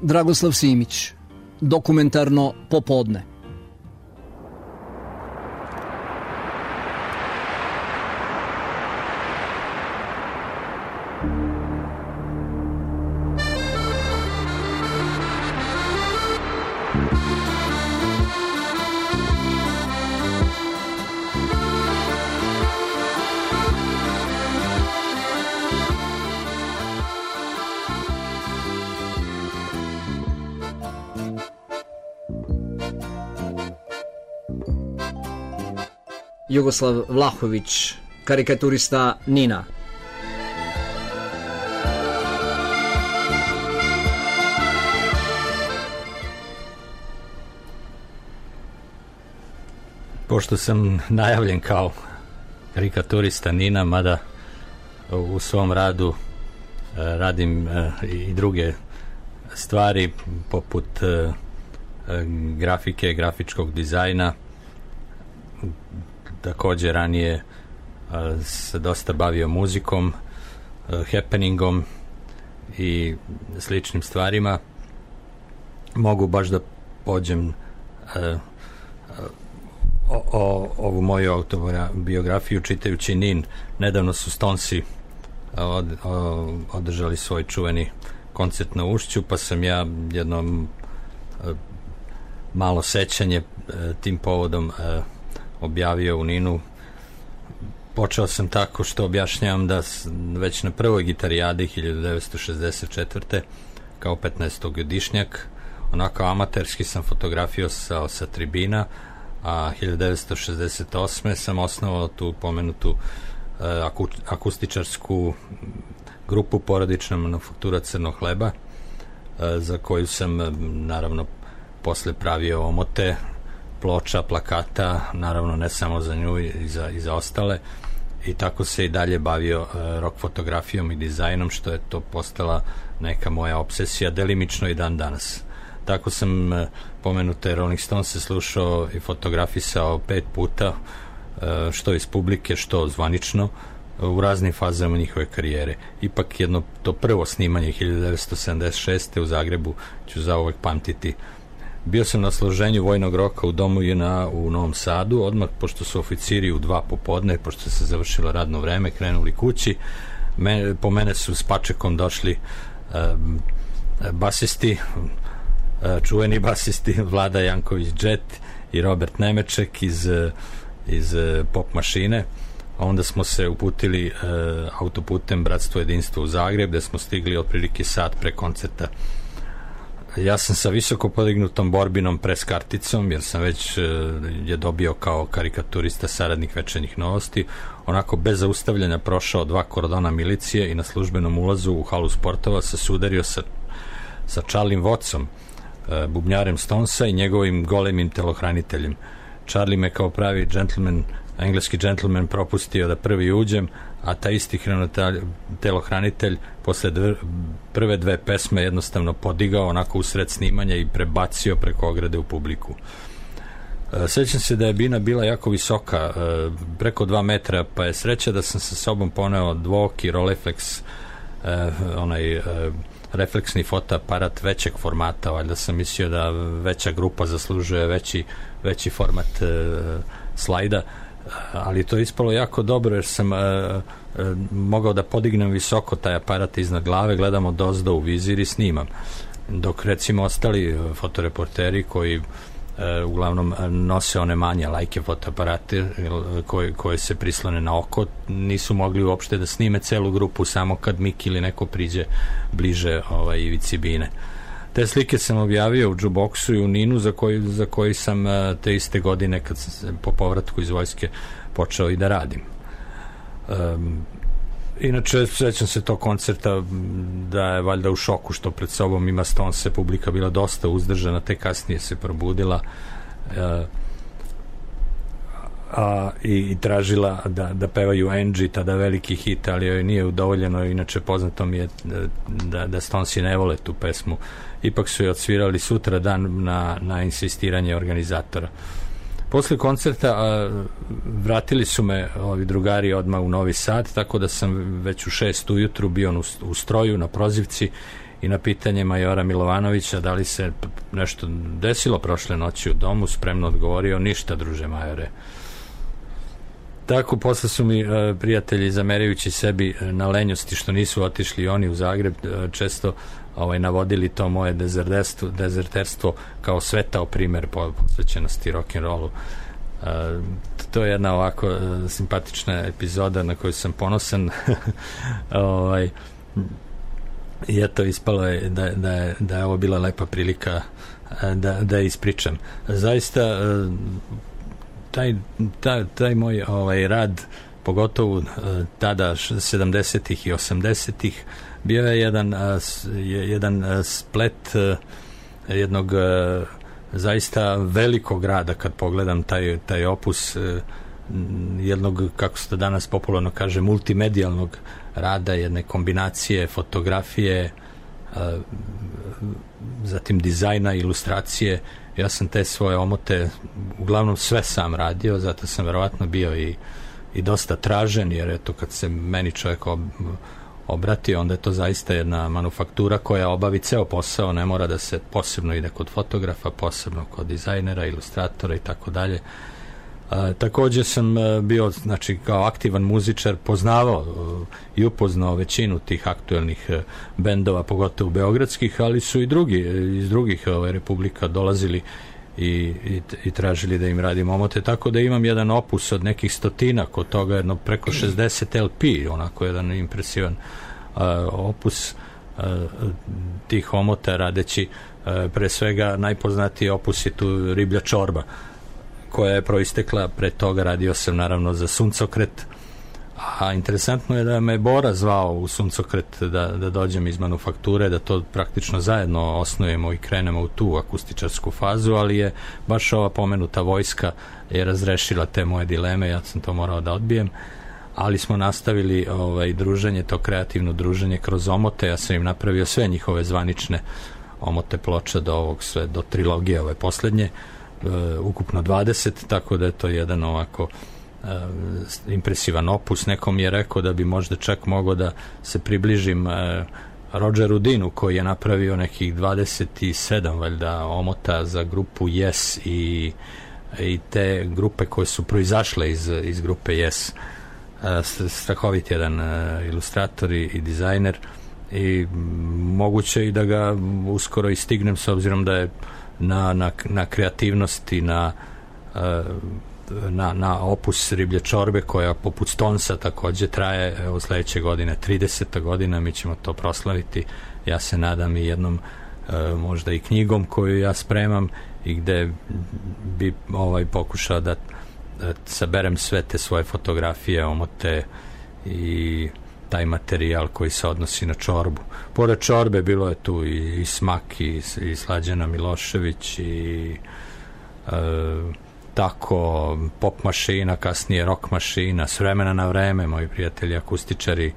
Dragoslav Simić, Dokumentarno popodne. Jugoslav Vlahović, karikaturista Nina. Pošto sam najavljen kao karikaturista Nina, mada u svom radu radim i druge stvari poput grafike, grafičkog dizajna. Također ranije se dosta bavio muzikom, happeningom i sličnim stvarima. Mogu baš da pođem ovu moju autobiografiju čitajući Nin. Nedavno su Stonesi održali svoj čuveni koncert na Ušću, pa sam ja jedno malo sećanje tim povodom objavio u Ninu. Počeo sam tako što objašnjavam da već na prvoj gitarijadi 1964. kao 15-godišnjak onako amaterski sam fotografio sa tribina, a 1968. sam osnovao tu pomenutu akustičarsku grupu Porodična manufaktura Crnog hleba, za koju sam naravno posle pravio omote, ploča, plakata, naravno ne samo za nju i za ostale, i tako se i dalje bavio rock fotografijom i dizajnom, što je to postala neka moja obsesija, delimično i dan danas. Tako sam pomenute Rolling Stones slušao i fotografisao 5 puta, što iz publike, što zvanično, u raznim fazama njihove karijere. Ipak jedno to prvo snimanje 1976. u Zagrebu ću zauvek pamtiti. Bio sam na složenju vojnog roka u domu JNA u Novom Sadu, odmah pošto su oficiri u 2 popodne, pošto se završilo radno vreme, krenuli kući. Po mene su s pačekom došli basisti, čuveni basisti Vlada Janković Džet i Robert Nemeček iz Pop mašine. Onda smo se uputili autoputem Bratstvo jedinstvo u Zagreb, gde smo stigli otprilike sat pre koncerta. Ja sam sa visoko podignutom borbinom pres karticom, jer sam već je dobio kao karikaturista saradnik Večernjih novosti, onako bez zaustavljanja prošao 2 kordona milicije i na službenom ulazu u halu sportova se sudario sa Charlie Wattsom, bubnjarem Stonesa i njegovim golemim telohraniteljem. Charlie me kao pravi džentlmen, engleski džentlmen propustio da prvi uđem, a ta isti telohranitelj posle prve 2 pesme jednostavno podigao onako usred snimanja i prebacio preko ograde u publiku. Sjećam se da je bina bila jako visoka, preko 2 metra, pa je sreća da sam sa sobom poneo dvoki Rolleiflex, onaj refleksni fotoaparat većeg formata, valjda sam mislio da veća grupa zaslužuje veći format slajda, ali to je ispalo jako dobro, jer sam mogao da podignem visoko taj aparat iznad glave, gledam odozdo u vizir i snimam, dok recimo ostali fotoreporteri koji uglavnom nose one manje lajke fotoaparate koje se prislone na oko, nisu mogli uopšte da snime celu grupu, samo kad Miki ili neko priđe bliže ivici bine. Te slike sam objavio u Jukeboxu i u Ninu, za koji sam te iste godine, kad sam po povratku iz vojske počeo i da radim. Inače, sećam se tog koncerta da je valjda u šoku što pred sobom ima Stonese, publika bila dosta uzdržana, te kasnije se probudila i tražila da pevaju Angie, tada veliki hit, ali joj nije udovoljeno. Inače poznato mi je da Stonesi ne vole tu pesmu. Ipak su je odsvirali sutra dan na insistiranje organizatora. Posle koncerta vratili su me ovi drugari odmah u Novi Sad, tako da sam već u 6 ujutru bio u stroju na prozivci i na pitanje majora Milovanovića da li se nešto desilo prošle noći u domu, spremno odgovorio: ništa, druže majore. Tako, posle su mi prijatelji, zamerajući sebi na lenjosti što nisu otišli oni u Zagreb, često navodili to moje dezerterstvo kao svetao primer posvećenosti rock'n'rollu. To je jedna ovako simpatična epizoda na koju sam ponosan. I eto, ispalo je da je ovo bila lepa prilika da je ispričam. Zaista taj moj rad, pogotovo tada 70-ih i 80-ih, bio je jedan splet jednog zaista velikog rada, kad pogledam taj opus jednog, kako se to danas popularno kaže, multimedijalnog rada, jedne kombinacije fotografije, zatim dizajna, ilustracije. Ja sam te svoje omote uglavnom sve sam radio, zato sam verovatno bio i dosta tražen, jer eto, kad se meni čovjek obrati, onda je to zaista jedna manufaktura koja obavi ceo posao, ne mora da se posebno ide kod fotografa, posebno kod dizajnera, ilustratora i tako dalje. Također sam bio, znači, kao aktivan muzičar, poznavao i upoznao većinu tih aktuelnih bendova, pogotovo beogradskih, ali su i drugi iz drugih republika dolazili i tražili da im radim omote, tako da imam jedan opus od nekih stotinak, od toga jedno preko 60 LP, onako jedan impresivan opus tih omota, radeći pre svega najpoznatiji opus je tu Riblja čorba, koja je proistekla pre toga. Radio sam naravno za Suncokret, a interesantno je da me Bora zvao u Suncokret da dođem iz manufakture, da to praktično zajedno osnujemo i krenemo u tu akustičarsku fazu, ali je baš ova pomenuta vojska je razrešila te moje dileme, ja sam to morao da odbijem, ali smo nastavili druženje, to kreativno druženje kroz omote. Ja sam im napravio sve njihove zvanične omote ploča do trilogije ove poslednje, ukupno 20, tako da je to jedan ovako impresivan opus. Neko mi je rekao da bi možda čak mogao da se približim Rogeru Dinu, koji je napravio nekih 27 valjda omota za grupu Yes i te grupe koje su proizašle iz grupe Yes. Strahovit jedan ilustrator i dizajner, i moguće i da ga uskoro i stignem, s obzirom da je na kreativnosti, na opus Riblje čorbe, koja poput Stonesa takođe traje, evo sledeće godine 30. godina, mi ćemo to proslaviti, ja se nadam i jednom možda i knjigom koju ja spremam i gde bi pokušao da saberem sve te svoje fotografije, omote i taj materijal koji se odnosi na čorbu. Pored čorbe bilo je tu i Smak i Slađana Milošević i tako pop mašina, kasnije rock mašina, s vremena na vreme moji prijatelji akustičari,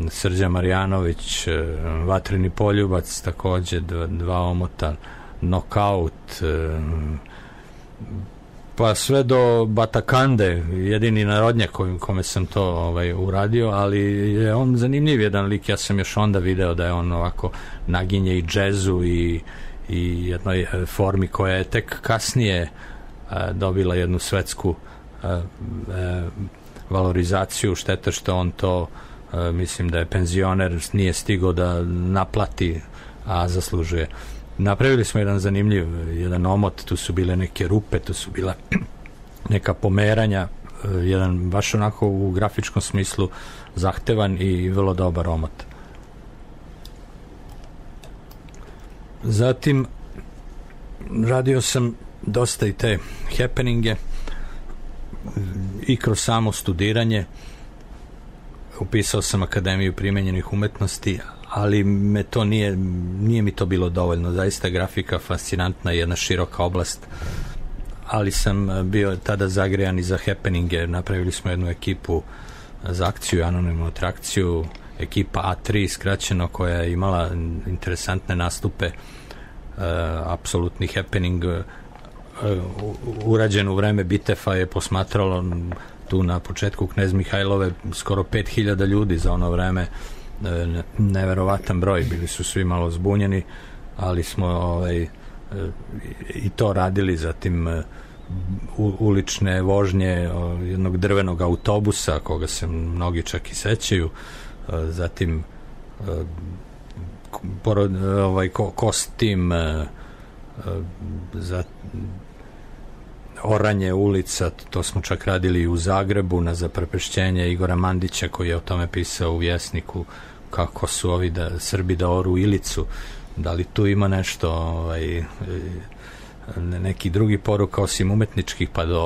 Srđan Marjanović, Vatreni poljubac, takođe dva omota, Nokaut, pa sve do Batakande, jedini narodnjak kome sam to uradio, ali je on zanimljiv jedan lik. Ja sam još onda video da je on ovako naginje i džezu i jednoj formi koja je tek kasnije dobila jednu svetsku valorizaciju. Šteta što on to, mislim da je penzioner, nije stigao da naplati, a zaslužuje. Napravili smo jedan zanimljiv, jedan omot, tu su bile neke rupe, tu su bila neka pomeranja, jedan baš onako u grafičkom smislu zahtevan i vrlo dobar omot. Zatim radio sam dosta i te happeninge i kroz samo studiranje. Upisao sam Akademiju primenjenih umetnosti, ali nije mi to bilo dovoljno. Zaista grafika fascinantna, jedna široka oblast, ali sam bio tada zagrejan i za happeninge. Napravili smo jednu ekipu za akciju, anonimnu atrakciju, ekipa A3 skraćeno, koja je imala interesantne nastupe, apsolutni happening, urađen u vreme Bitefa je posmatralo tu na početku Knez Mihajlove skoro 5000 ljudi za ono vreme. neverovatan broj, bili su svi malo zbunjeni, ali smo i to radili. Zatim ulične vožnje jednog drvenog autobusa koga se mnogi čak i sećaju, zatim kostim, za oranje ulica, to smo čak radili u Zagrebu na zaprepešćenje Igora Mandića koji je o tome pisao u Vjesniku, kako su ovi Srbi da oru Ilicu. Da li tu ima nešto neki drugi poruka osim umetničkih, pa do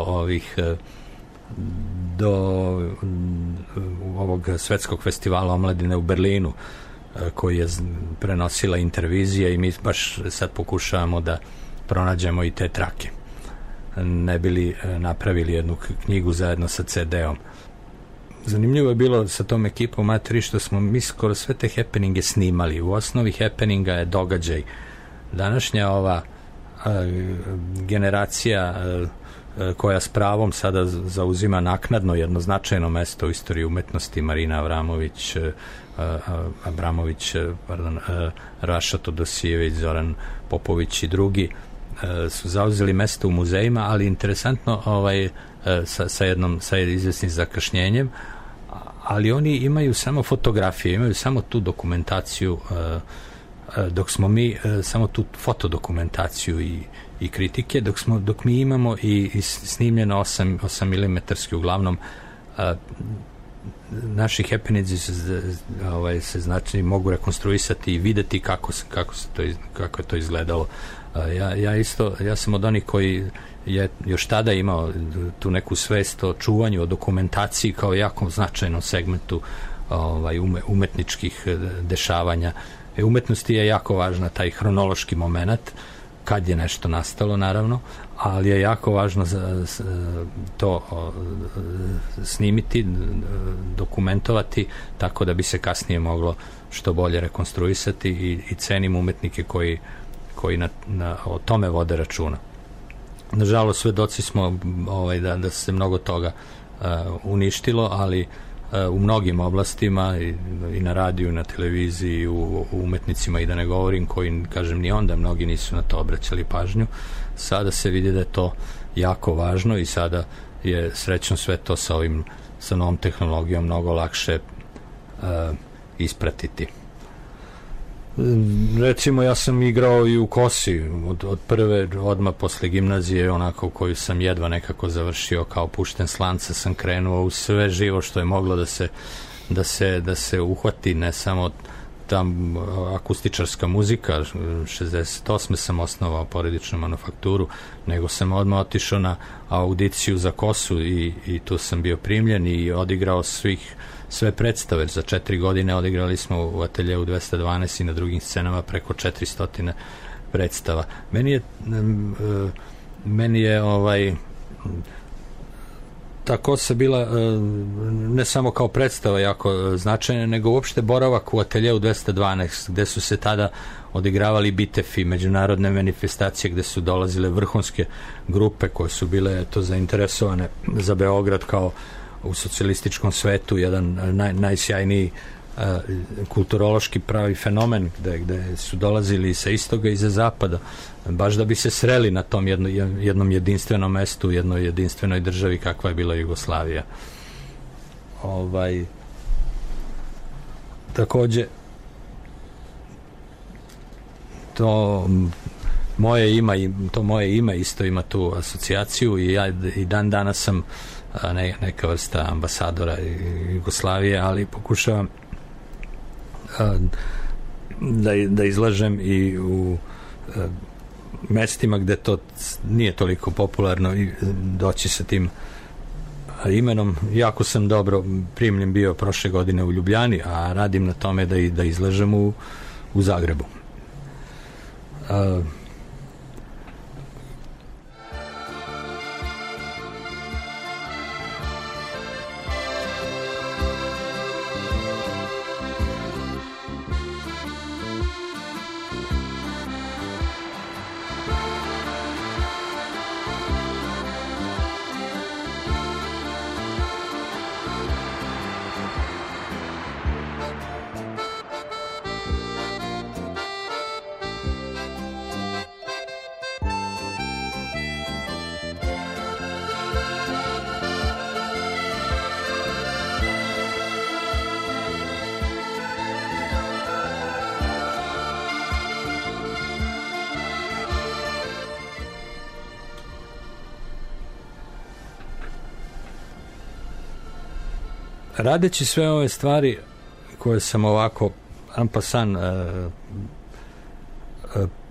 ovog svetskog festivala omladine u Berlinu koji je prenosila intervizija, i mi baš sad pokušavamo da pronađemo i te trake, ne bili napravili jednu knjigu zajedno sa CD-om. Zanimljivo je bilo sa tom ekipom A3 što smo mi skoro sve te happeninge snimali. U osnovi happeninga je događaj. Današnja ova generacija koja s pravom sada zauzima naknadno jedno značajno mesto u istoriji umetnosti, Marina Abramović, Raša Todosijević, Zoran Popović i drugi, su zauzeli mesto u muzejima, ali interesantno sa izvesnim zakašnjenjem, ali oni imaju samo fotografije, imaju samo tu dokumentaciju, dok smo mi samo tu fotodokumentaciju i kritike, dok mi imamo i snimljeno 8 mm uglavnom. Naši happeninzi se znači mogu rekonstruisati i videti kako je to izgledalo. Ja sam od onih koji je još tada imao tu neku svest o čuvanju, o dokumentaciji kao jako značajnom segmentu umetničkih dešavanja. Umetnosti je jako važna taj hronološki moment, kad je nešto nastalo naravno, ali je jako važno to snimiti, dokumentovati, tako da bi se kasnije moglo što bolje rekonstruisati, i cenim umetnike koji o tome vode računa. Nažalost, svedoci smo da se mnogo toga uništilo, ali u mnogim oblastima, i na radiju, na televiziji, u umetnicima, i da ne govorim, koji, kažem, ni onda mnogi nisu na to obraćali pažnju. Sada se vidi da je to jako važno i sada je srećno sve to sa novom tehnologijom mnogo lakše ispratiti. Recimo, ja sam igrao i u Kosi od prve, odmah posle gimnazije, onako koju sam jedva nekako završio, kao pušten s lanca sam krenuo u sve živo što je moglo da se uhvati, ne samo tam akustičarska muzika. 68. sam osnovao porodičnu manufakturu, nego sam odmah otišao na audiciju za Kosu i tu sam bio primljen i odigrao sve predstave. Za 4 godine odigrali smo u ateljeu 212 i na drugim scenama preko 400 predstava. Meni je ta Kosa bila ne samo kao predstava jako značajna, nego uopšte boravak u ateljeu 212, gde su se tada odigravali bitefi, međunarodne manifestacije, gde su dolazile vrhunske grupe koje su bile zainteresovane za Beograd kao u socijalističkom svetu jedan najsjajniji kulturološki pravi fenomen, gde su dolazili sa istoga i za zapada, baš da bi se sreli na tom jednom jedinstvenom mestu, jednoj jedinstvenoj državi kakva je bila Jugoslavija. Takođe, to moje ime isto ima tu asocijaciju, i ja i dan danas sam neka vrsta ambasadora Jugoslavije, ali pokušavam da izlažem i u mestima gde to nije toliko popularno i doći sa tim imenom. Jako sam dobro primljen bio prošle godine u Ljubljani, a radim na tome da izlažem u Zagrebu. radeći sve ove stvari koje sam ovako en passant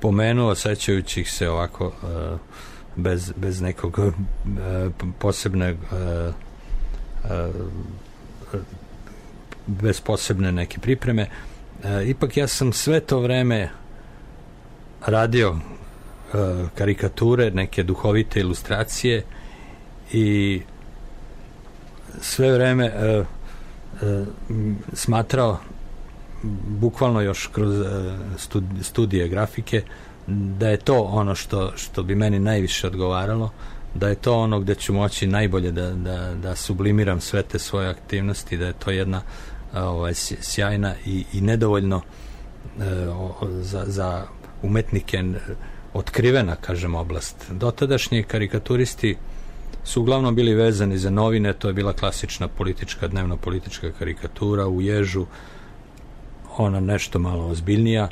pomenuo, sećajući ih se ovako bez nekog posebnog bez posebne neke pripreme, ipak ja sam sve to vreme radio karikature, neke duhovite ilustracije i sve vreme smatrao, bukvalno još kroz studije grafike, da je to ono što bi meni najviše odgovaralo, da je to ono gde ću moći najbolje da sublimiram sve te svoje aktivnosti, da je to jedna sjajna i nedovoljno za umetnike otkrivena, kažem, oblast. Dotadašnji karikaturisti su uglavnom bili vezani za novine, to je bila klasična politička, dnevno-politička karikatura u ježu, ona nešto malo ozbiljnija.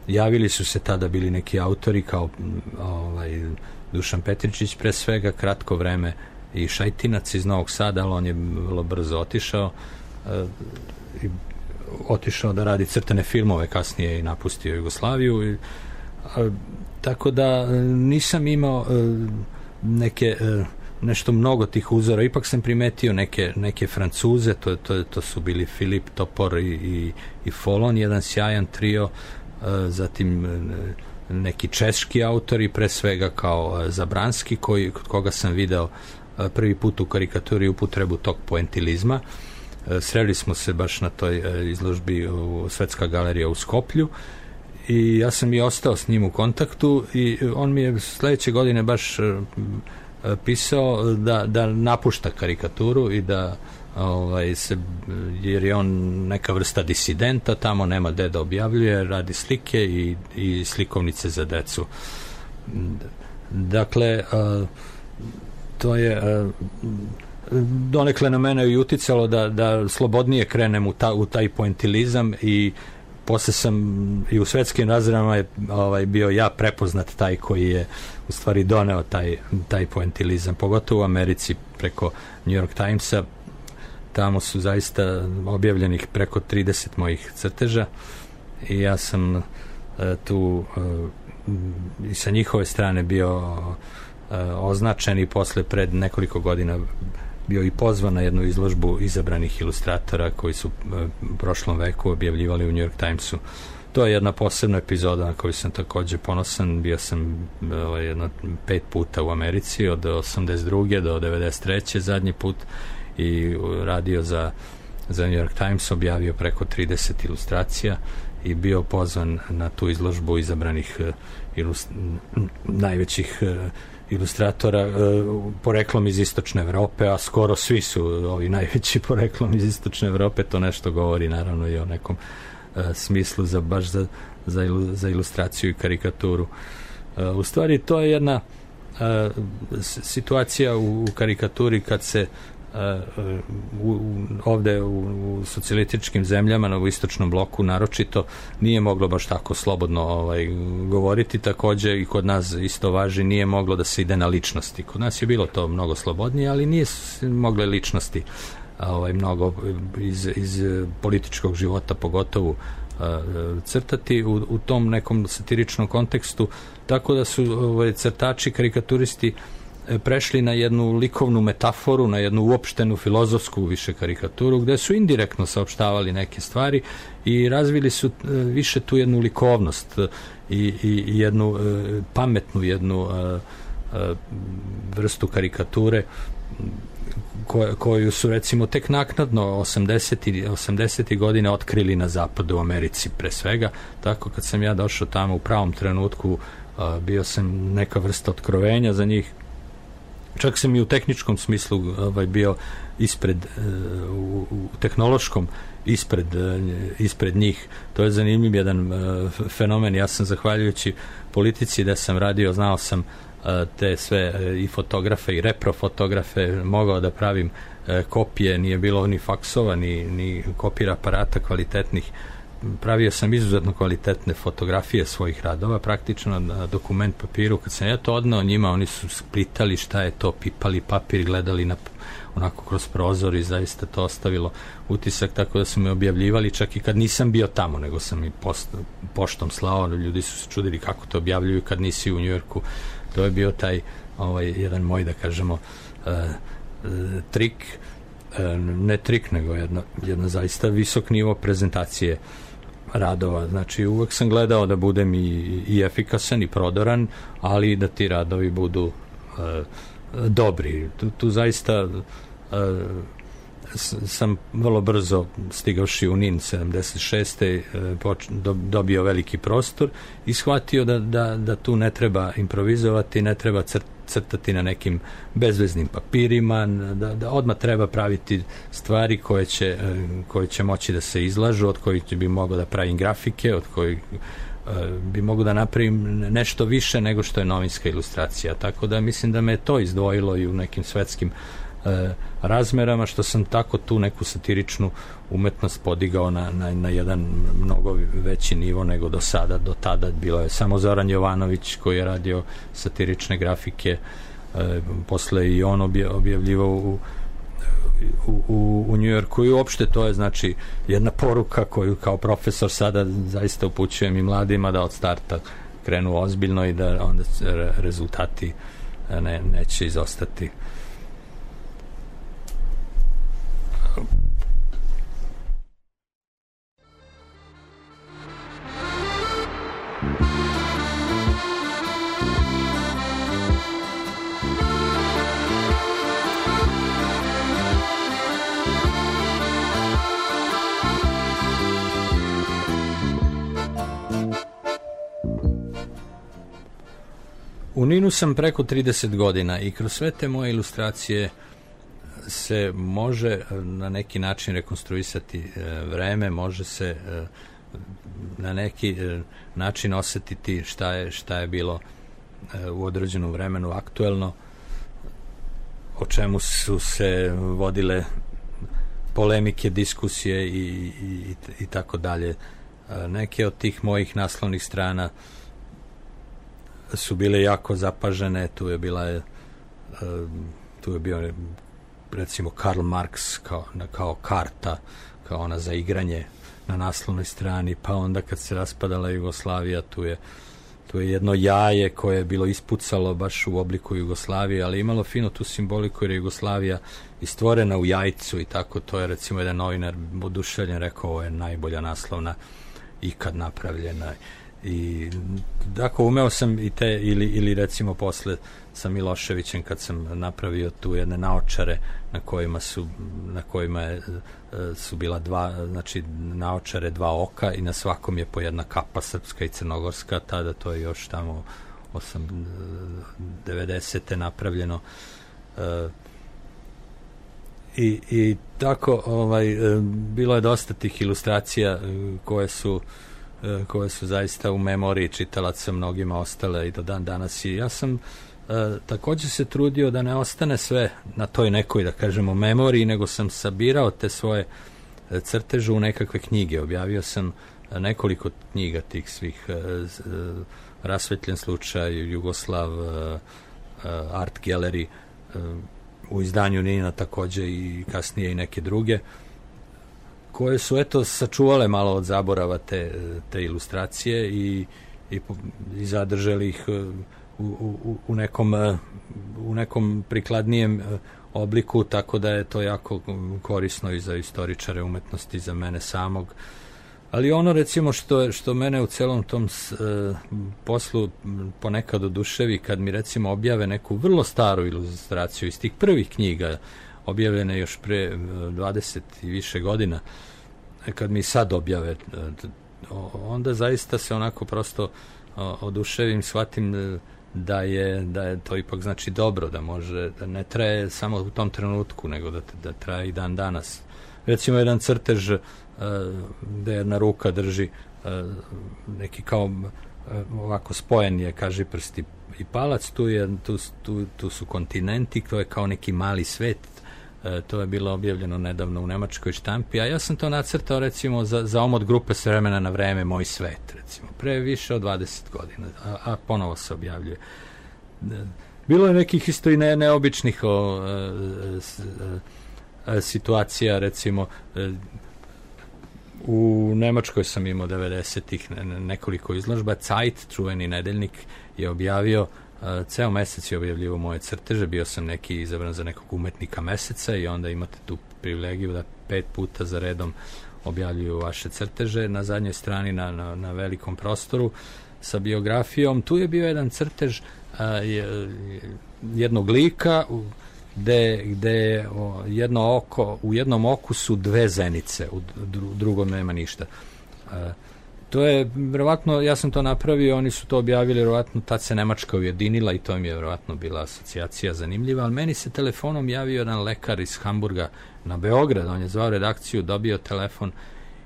Javili su se tada bili neki autori kao Dušan Petričić, pre svega, kratko vreme i Šajtinac iz Novog Sada, ali on je vrlo brzo otišao da radi crtane filmove, kasnije i napustio Jugoslaviju. Tako da nisam imao nešto mnogo tih uzora, ipak sam primetio neke Francuze, to su bili Filip Topor i Folon, jedan sjajan trio, zatim neki češki autori, pre svega kao Zabranski, kod koga sam video prvi put u karikaturi upotrebu tog poentilizma. Sreli smo se baš na toj izložbi u Svetska galerija u Skoplju i ja sam i ostao s njim u kontaktu i on mi je sledeće godine baš pisao da napušta karikaturu i da jer je on neka vrsta disidenta, tamo nema gde da objavljuje, radi slike i slikovnice za decu. Dakle, to je donekle na mene i uticalo da slobodnije krenem u taj poentilizam i posle sam i u svetskim razredama je bio ja prepoznat taj koji je u stvari doneo taj poentilizam, pogotovo u Americi preko New York Timesa. Tamo su zaista objavljenih preko 30 mojih crteža i ja sam tu i sa njihove strane bio označen i posle pred nekoliko godina bio i pozvan na jednu izložbu izabranih ilustratora koji su u prošlom veku objavljivali u New York Timesu. To je jedna posebna epizoda na koju sam takođe ponosan. Bio sam jedno 5 puta u Americi od 82. do 93. zadnji put i radio za New York Times, objavio preko 30 ilustracija i bio pozvan na tu izložbu izabranih najvećih ilustratora poreklom iz Istočne Evrope, a skoro svi su ovi najveći poreklom iz Istočne Evrope. To nešto govori naravno i o nekom smislu baš za ilustraciju i karikaturu. U stvari to je jedna situacija u karikaturi kad se ovde u socijalističkim zemljama u istočnom bloku naročito nije moglo baš tako slobodno govoriti. Takođe i kod nas isto važi, nije moglo da se ide na ličnosti. Kod nas je bilo to mnogo slobodnije, ali nije mogle ličnosti mnogo iz političkog života pogotovo crtati u tom nekom satiričnom kontekstu, tako da su crtači, karikaturisti prešli na jednu likovnu metaforu, na jednu uopštenu filozofsku više karikaturu, gde su indirektno saopštavali neke stvari i razvili su više tu jednu likovnost i jednu pametnu vrstu karikature koju su recimo tek naknadno 80. godina otkrili na zapadu u Americi pre svega. Tako kad sam ja došao tamo u pravom trenutku, bio sam neka vrsta otkrovenja za njih. Čak sam i u tehničkom smislu bio ispred, u tehnološkom ispred njih. To je zanimljiv jedan fenomen. Ja sam, zahvaljujući politici da sam radio, znao sam te sve i fotografe i reprofotografe, mogao da pravim kopije, nije bilo ni faksova ni kopira aparata kvalitetnih, pravio sam izuzetno kvalitetne fotografije svojih radova, praktično na dokument papiru. Kad sam ja to odneo njima, oni su splitali šta je to, pipali papir, gledali onako kroz prozor i zaista to ostavilo utisak, tako da su me objavljivali čak i kad nisam bio tamo, nego sam i poštom slao. Ljudi su se čudili kako to objavljuju kad nisi u Njujorku. To je bio taj jedan moj, da kažemo, trik, ne trik, nego jedna zaista visok nivo prezentacije radova. Znači, uvek sam gledao da budem i efikasan i prodoran, ali i da ti radovi budu dobri. Tu zaista sam vrlo brzo, stigavši u NIN 76. dobio veliki prostor i shvatio da tu ne treba improvizovati, ne treba crtati na nekim bezveznim papirima, da odmah treba praviti stvari koje će moći da se izlažu, od kojih bi mogao da pravim grafike, od kojih bi mogu da napravim nešto više nego što je novinska ilustracija. Tako da mislim da me to izdvojilo i u nekim svetskim razmerama, što sam tako tu neku satiričnu umetnost podigao na jedan mnogo veći nivo nego do sada. Do tada bilo je samo Zoran Jovanović koji je radio satirične grafike, posle i on objavljivao u Njujorku, i uopšte to je znači jedna poruka koju kao profesor sada zaista upućujem i mladima, da od starta krenu ozbiljno i da onda rezultati neće izostati. U NIN-u sam preko 30 godina i kroz sve te moje ilustracije se može na neki način rekonstruisati vreme, može se na neki način osetiti šta je bilo u određenom vremenu aktuelno, o čemu su se vodile polemike, diskusije i tako dalje. Neke od tih mojih naslovnih strana su bile jako zapažene. Tu je bio recimo Karl Marx kao karta, kao ona za igranje na naslovnoj strani, pa onda kad se raspadala Jugoslavija, tu je jedno jaje koje je bilo ispucalo baš u obliku Jugoslavije, ali imalo fino tu simboliku jer je Jugoslavija istvorena u jajcu i tako. To je recimo jedan novinar oduševljen rekao, ovo je najbolja naslovna ikad napravljena. I tako umeo sam i te, ili recimo posle sa Miloševićem kad sam napravio tu jedne naočare na kojima su bila znači naočare, dva oka i na svakom je po jedna kapa srpska i crnogorska. Tada to je još tamo 90. napravljeno. I tako bilo je dosta tih ilustracija koje su zaista u memoriji čitalaca mnogima ostale i do dan danas. I ja sam također se trudio da ne ostane sve na toj nekoj, da kažemo, memoriji, nego sam sabirao te svoje crteže u nekakve knjige. Objavio sam nekoliko knjiga tih svih, Rasvetljen slučaj, Jugoslav, Art Gallery, u izdanju NIN-a također i kasnije i neke druge, koje su sačuvale malo od zaborava te ilustracije i zadržali ih u nekom prikladnijem obliku, tako da je to jako korisno i za istoričare umetnosti, za mene samog. Ali ono recimo što mene u celom tom poslu ponekad oduševi, kad mi recimo objave neku vrlo staru ilustraciju iz tih prvih knjiga, objavljene još pre 20 i više godina, kad mi sad objave, onda zaista se onako prosto oduševim, shvatim da je to ipak znači dobro, da ne traje samo u tom trenutku, nego da traje i dan danas. Recimo jedan crtež gde jedna ruka drži neki kao ovako spojen je kažiprst i palac, tu su kontinenti, to je kao neki mali svet To je bilo objavljeno nedavno u nemačkoj štampi, a ja sam to nacrtao recimo za omot grupe S vremena na vreme Moj svet, recimo, pre više od 20 godina, a ponovo se objavljuje. Bilo je nekih isto i neobičnih situacija, recimo u Nemačkoj sam imao 90-ih nekoliko izložba. Zeit, čuveni nedeljnik, je objavio, ceo mesec je objavljivo moje crteže, bio sam neki izabran za nekog umetnika meseca i onda imate tu privilegiju da 5 puta za redom objavljuju vaše crteže. Na zadnjoj strani na velikom prostoru sa biografijom, tu je bio jedan crtež jednog lika gde jedno oko, u jednom oku su 2 zenice, u drugom nema ništa. To je, verovatno, ja sam to napravio, oni su to objavili, verovatno tad se Nemačka ujedinila i to mi je verovatno bila asocijacija zanimljiva, ali meni se telefonom javio jedan lekar iz Hamburga na Beograd, on je zvao redakciju, dobio telefon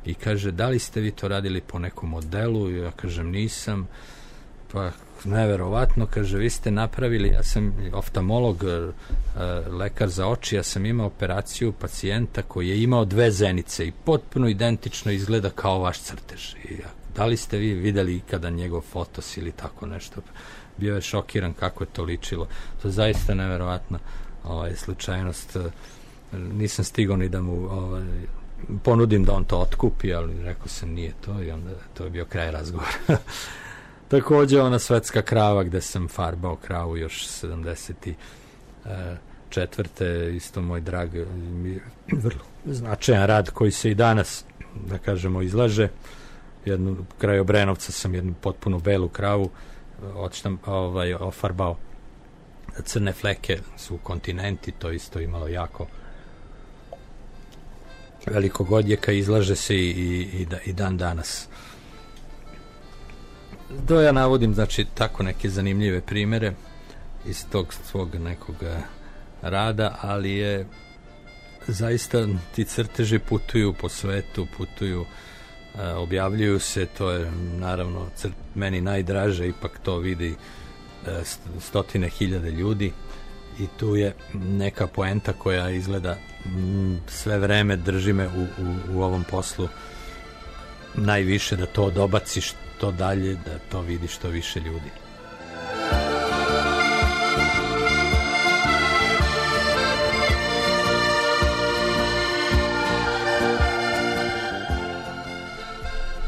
i kaže, da li ste vi to radili po nekom modelu? I ja kažem, nisam. Pa neverovatno, kaže, vi ste napravili, ja sam oftalmolog, lekar za oči, ja sam imao operaciju pacijenta koji je imao 2 zenice i potpuno identično izgleda kao vaš crtež. I da li ste vi videli ikada njegov fotos ili tako nešto? Bio je šokiran kako je to ličilo. To je zaista neverovatna slučajnost. Nisam stigao ni da mu ponudim da on to otkupi, ali rekao sam nije to i onda to je bio kraj razgovora. Takođe ona Svetska krava gde sam farbao kravu još 74. Isto moj drag, vrlo značajan rad koji se i danas, da kažemo, izlaže. Kraj Obrenovca sam jednu potpuno belu kravu ofarbao. Crne fleke su kontinenti, to isto imalo jako velikog odjeka, izlaže se i dan danas. To ja navodim, znači, tako neke zanimljive primere iz tog svog nekog rada, ali je zaista ti crteži putuju po svetu, objavljuju se, to je naravno meni najdraže, ipak to vidi 100.000 ljudi i tu je neka poenta koja izgleda sve vreme drži me u ovom poslu najviše, da to dobaci što dalje, da to vidi što više ljudi.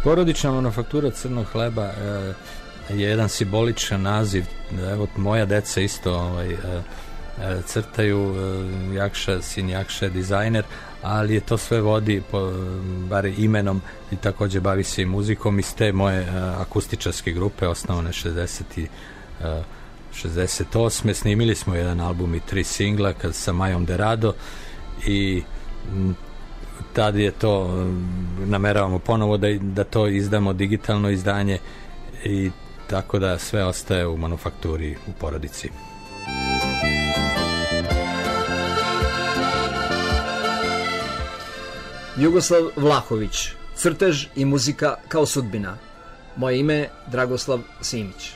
Porodična manufaktura crnog hleba je jedan simboličan naziv. Evo, moja deca isto crtaju, sin Jakša je dizajner, ali je to sve vodi bar imenom i takođe bavi se i muzikom iz te moje akustičarske grupe, osnovane 68. Snimili smo jedan album i 3 singla sa Majom Derado i tad je to, nameravamo ponovo da to izdamo, digitalno izdanje, i tako da sve ostaje u manufakturi u porodici. Jugoslav Vlahović, crtež i muzika kao sudbina. Moje ime je Dragoslav Simić.